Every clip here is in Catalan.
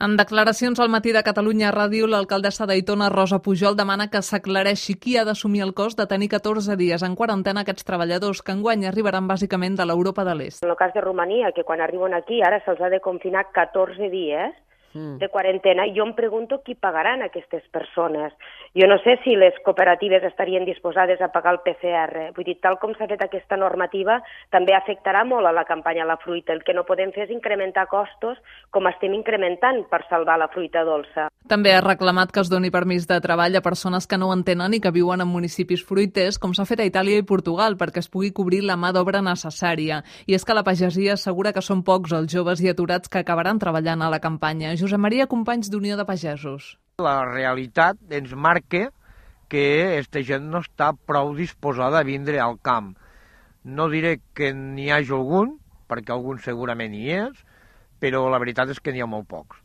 En declaracions al Matí de Catalunya Ràdio, l'alcaldessa d'Aitona, Rosa Pujol, demana que s'aclareixi qui ha d'assumir el cost de tenir 14 dies en quarantena aquests treballadors que enguany arribaran bàsicament de l'Europa de l'Est. En el cas de Romania, que quan arriben aquí ara se'ls ha de confinar 14 dies de quarantena, jo em pregunto qui pagaran aquestes persones. Jo no sé si les cooperatives estarien disposades a pagar el PCR. Vull dir, tal com s'ha fet aquesta normativa, també afectarà molt a la campanya a la fruita. El que no podem fer és incrementar costos com estem incrementant per salvar la fruita dolça. També ha reclamat que es doni permís de treball a persones que no ho entenen i que viuen en municipis fruiters, com s'ha fet a Itàlia i Portugal, perquè es pugui cobrir la mà d'obra necessària. I és que la pagesia assegura que són pocs els joves i aturats que acabaran treballant a la campanya. Josep Maria Companys, d'Unió de Pagesos. La realitat ens marca que aquesta gent no està prou disposada a vindre al camp. No diré que n'hi hagi algun, perquè algun segurament hi és, però la veritat és que n'hi ha molt pocs.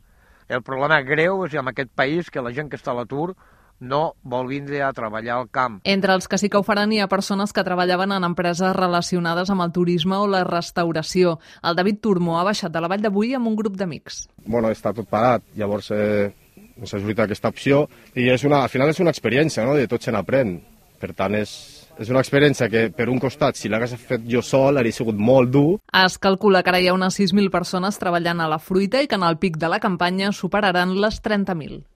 El problema greu és en aquest país que la gent que està a l'atur no vol vindre a treballar al camp. Entre els que sí que ho faran hi ha persones que treballaven en empreses relacionades amb el turisme o la restauració. El David Turmo ha baixat de la Vall de Boí amb un grup d'amics. Bueno, està tot parat, llavors ens ha sortit aquesta opció i al final és una experiència, no? De tot se n'aprèn. Per tant, és una experiència que, per un costat, si l'hagués fet jo sol, hauria sigut molt dur. Es calcula que ara hi ha unes 6.000 persones treballant a la fruita i que en el pic de la campanya superaran les 30.000.